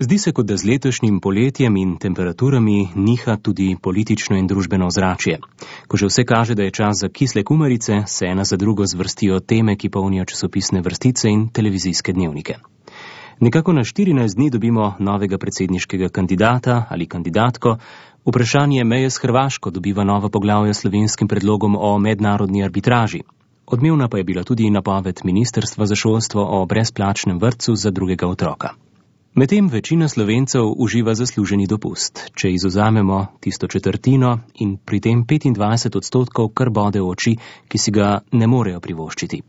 Zdi se, kot da z letošnjim poletjem in temperaturami niha tudi politično in družbeno ozračje. Ko že vse kaže, da je čas za kisle kumarice, se ena za drugo zvrstijo teme, ki polnijo časopisne vrstice in televizijske dnevnike. Nekako na 14 dni dobimo novega predsedniškega kandidata ali kandidatko. Vprašanje meje s Hrvaško dobiva novo poglavje s slovenskim predlogom o mednarodni arbitraži. Odmevna pa je bila tudi napoved Ministrstva za šolstvo o brezplačnem vrtcu za drugega otroka. Medtem večina Slovencev uživa zasluženi dopust, če izvzamemo tisto četrtino in pri tem 25%, kar bode v oči, ki si ga ne morejo privoščiti.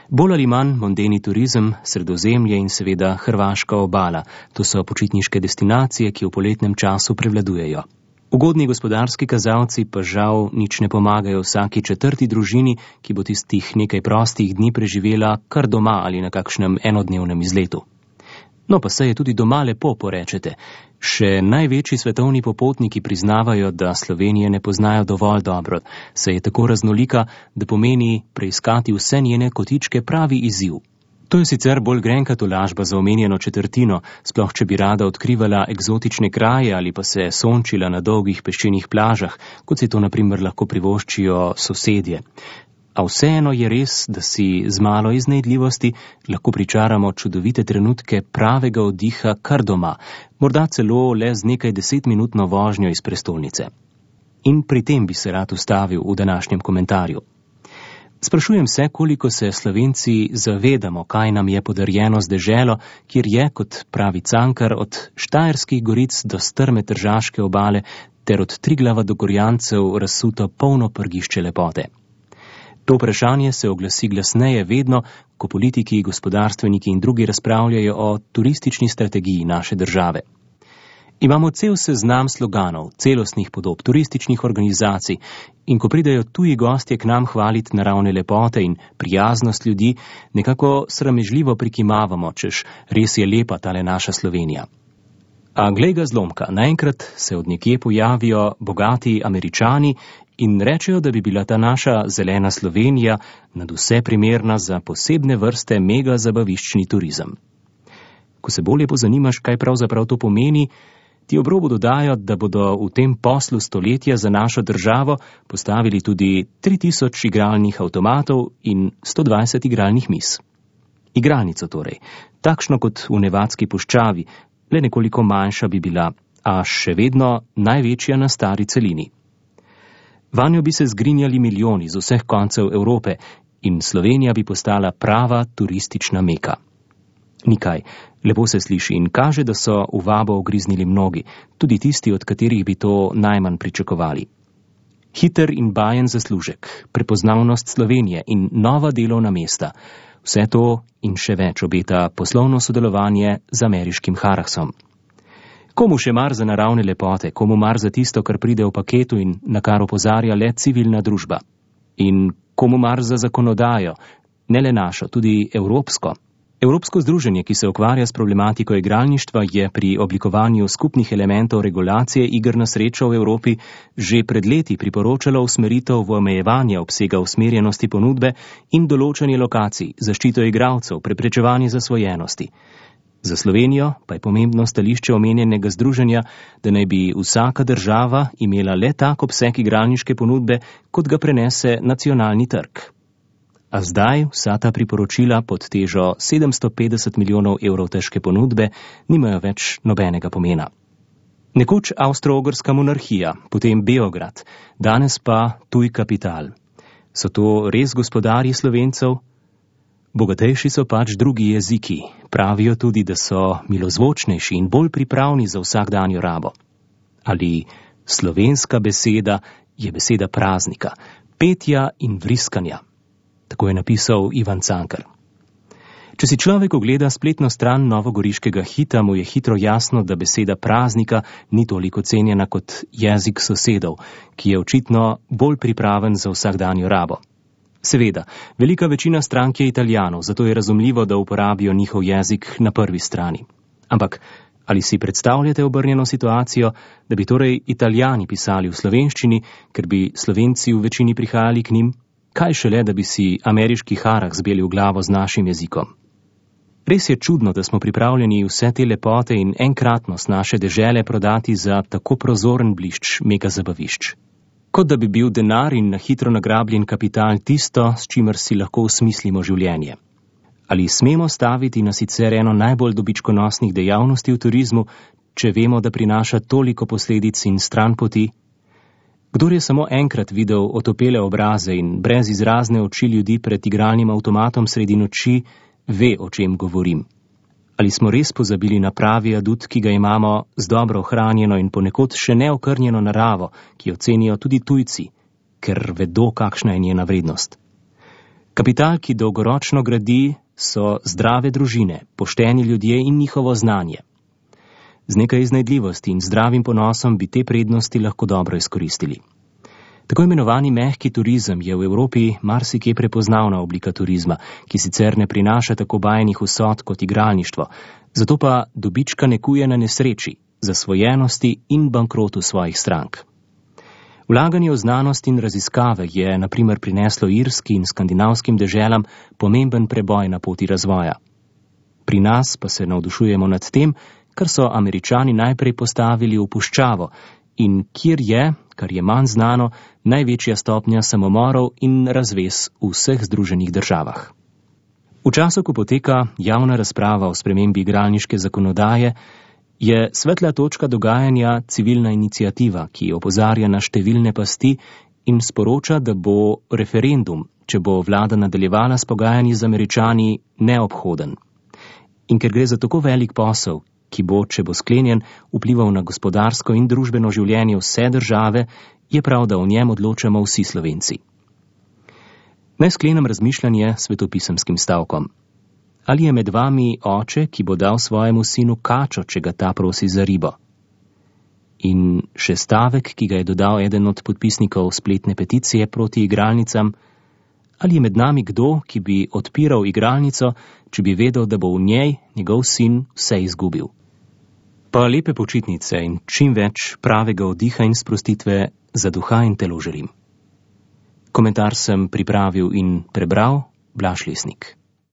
Bolj ali manj mondeni turizem, Sredozemlje in seveda hrvaška obala, to so počitniške destinacije, ki v poletnem času prevladujejo. Ugodni gospodarski kazalci pa žal nič ne pomagajo vsaki četrti družini, ki bo tistih nekaj prostih dni preživela kar doma ali na kakšnem enodnevnem izletu. No pa se je tudi doma lepo, porečete. Še največji svetovni popotniki priznavajo, da Slovenije ne poznajo dovolj dobro, saj je tako raznolika, da pomeni preiskati vse njene kotičke pravi izziv. To je sicer bolj grenka tolažba za omenjeno četrtino, sploh če bi rada odkrivala eksotične kraje ali pa se sončila na dolgih peščenih plažah, kot si to na primer lahko privoščijo sosedje. A vseeno je res, da si z malo iznajdljivosti lahko pričaramo čudovite trenutke pravega oddiha kar doma, morda celo le z nekaj 10-minutno vožnjo iz prestolnice. In pri tem bi se rad ustavil v današnjem komentarju. Sprašujem se, koliko se Slovenci zavedamo, kaj nam je podarjeno z deželo, kjer je, kot pravi Cankar, od Štajerskih goric do strme Tržaške obale ter od Triglava do Gorjancev razsuto polno prgišče lepote. To vprašanje se oglasi glasneje vedno, ko politiki, gospodarstveniki in drugi razpravljajo o turistični strategiji naše države. Imamo cel seznam sloganov, celostnih podob, turističnih organizacij in ko pridejo tuji gostje k nam hvaliti naravne lepote in prijaznost ljudi, nekako sramežljivo prikimavamo, češ res je lepa tale naša Slovenija. A glej ga zlomka, naenkrat se od nekje pojavijo bogati Američani in rečejo, da bi bila ta naša zelena Slovenija nadvse primerna za posebne vrste mega zabaviščni turizem. Ko se bolje pozanimaš, kaj pravzaprav to pomeni, ti ob robu dodajo, da bodo v tem poslu stoletja za našo državo postavili tudi 3000 igralnih avtomatov in 120 igralnih miz. Igralnico torej, takšno kot v Nevadski puščavi, le nekoliko manjša bi bila, a še vedno največja na stari celini. Vanjo bi se zgrinjali milijoni z vseh koncev Evrope in Slovenija bi postala prava turistična meka. Nikaj, lepo se sliši in kaže, da so v vabo ugriznili mnogi, tudi tisti, od katerih bi to najmanj pričakovali. Hiter in bajen zaslužek, prepoznavnost Slovenije in nova delovna mesta, vse to in še več obeta poslovno sodelovanje z ameriškim Harrahsom. Komu še mar za naravne lepote, komu mar za tisto, kar pride v paketu in na kar opozarja le civilna družba? In komu mar za zakonodajo, ne le našo, tudi evropsko? Evropsko združenje, ki se ukvarja s problematiko igralništva, je pri oblikovanju skupnih elementov regulacije iger na srečo v Evropi že pred leti priporočalo usmeritev v omejevanje obsega usmerjenosti ponudbe in določanje lokacij, zaščito igralcev, preprečevanje zasvojenosti. Za Slovenijo pa je pomembno stališče omenjenega združenja, da naj bi vsaka država imela le tak obseg igralniške ponudbe, kot ga prenese nacionalni trg. A zdaj vsa ta priporočila pod težo 750 milijonov evrov težke ponudbe nimajo več nobenega pomena. Nekoč Avstro-Ogrska monarhija, potem Beograd, danes pa tuj kapital. So to res gospodarji Slovencev? Bogatejši so pač drugi jeziki. Pravijo tudi, da so milozvočnejši in bolj pripravni za vsakdanjo rabo. Ali slovenska beseda je beseda praznika, petja in vriskanja. Tako je napisal Ivan Cankar. Če si človek ogleda spletno stran novogoriškega Hita, mu je hitro jasno, da beseda praznika ni toliko cenjena kot jezik sosedov, ki je očitno bolj pripraven za vsakdanjo rabo. Seveda, velika večina strank je Italijanov, zato je razumljivo, da uporabijo njihov jezik na prvi strani. Ampak, ali si predstavljate obrnjeno situacijo, da bi torej Italijani pisali v slovenščini, ker bi Slovenci v večini prihajali k njim? Kaj šele, da bi si ameriški Harrah zbeli v glavo z našim jezikom? Res je čudno, da smo pripravljeni vse te lepote in enkratnost naše dežele prodati za tako prozoren blišč megazabavišč. Kot da bi bil denar in na hitro nagrabljen kapital tisto, s čimer si lahko usmislimo življenje. Ali smemo staviti na sicer eno najbolj dobičkonosnih dejavnosti v turizmu, če vemo, da prinaša toliko posledic in stranpoti? Kdor je samo enkrat videl otopele obraze in brez izrazne oči ljudi pred igralnim avtomatom sredi noči, ve, o čem govorim. Ali smo res pozabili na pravi adut, ki ga imamo z dobro ohranjeno in ponekod še neokrnjeno naravo, ki jo cenijo tudi tujci, ker vedo, kakšna je njena vrednost. Kapital, ki dolgoročno gradi, so zdrave družine, pošteni ljudje in njihovo znanje. Z nekaj iznajdljivosti in zdravim ponosom bi te prednosti lahko dobro izkoristili. Tako imenovani mehki turizem je v Evropi marsikje prepoznavna oblika turizma, ki sicer ne prinaša tako bajnih vsot kot igralništvo, zato pa dobička nekuje na nesreči, zasvojenosti in bankrotu svojih strank. Vlaganje v znanost in raziskave je na primer prineslo irski in skandinavskim deželam pomemben preboj na poti razvoja. Pri nas pa se navdušujemo nad tem, kar so Američani najprej postavili v puščavo in kjer je, kar je manj znano, največja stopnja samomorov in razvez v vseh združenih državah. V času, ko poteka javna razprava o spremembi igralniške zakonodaje, je svetla točka dogajanja civilna iniciativa, ki opozarja na številne pasti in sporoča, da bo referendum, če bo vlada nadaljevala s pogajanji z Američani, neobhoden. In ker gre za tako velik posel, ki bo, če bo sklenjen, vplival na gospodarsko in družbeno življenje vse države, je prav, da o njem odločamo vsi Slovenci. Naj sklenem razmišljanje svetopisemskim stavkom. Ali je med vami oče, ki bo dal svojemu sinu kačo, če ga ta prosi za ribo? In še stavek, ki ga je dodal eden od podpisnikov spletne peticije proti igralnicam. Ali je med nami kdo, ki bi odpiral igralnico, če bi vedel, da bo v njej njegov sin vse izgubil? Pa lepe počitnice in čim več pravega oddiha in sprostitve za duha in telo želim. Komentar sem pripravil in prebral Blaž Lesnik.